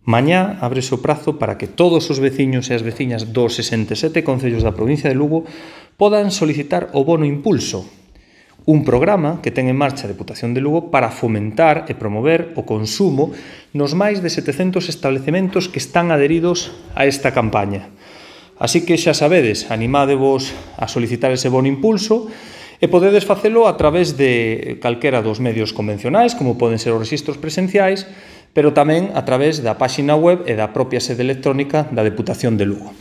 Mañá ábrese o prazo para que todos os veciños e as veciñas dos 67 concellos da provincia de Lugo podan solicitar o bono impulso, un programa que ten en marcha a Deputación de Lugo para fomentar e promover o consumo nos máis de 700 establecementos que están adheridos a esta campaña. Así que xa sabedes, animádevos a solicitar ese bono impulso e podedes facelo a través de calquera dos medios convencionais, como poden ser os rexistros presenciais, pero tamén a través da páxina web e da propia sede electrónica da Deputación de Lugo.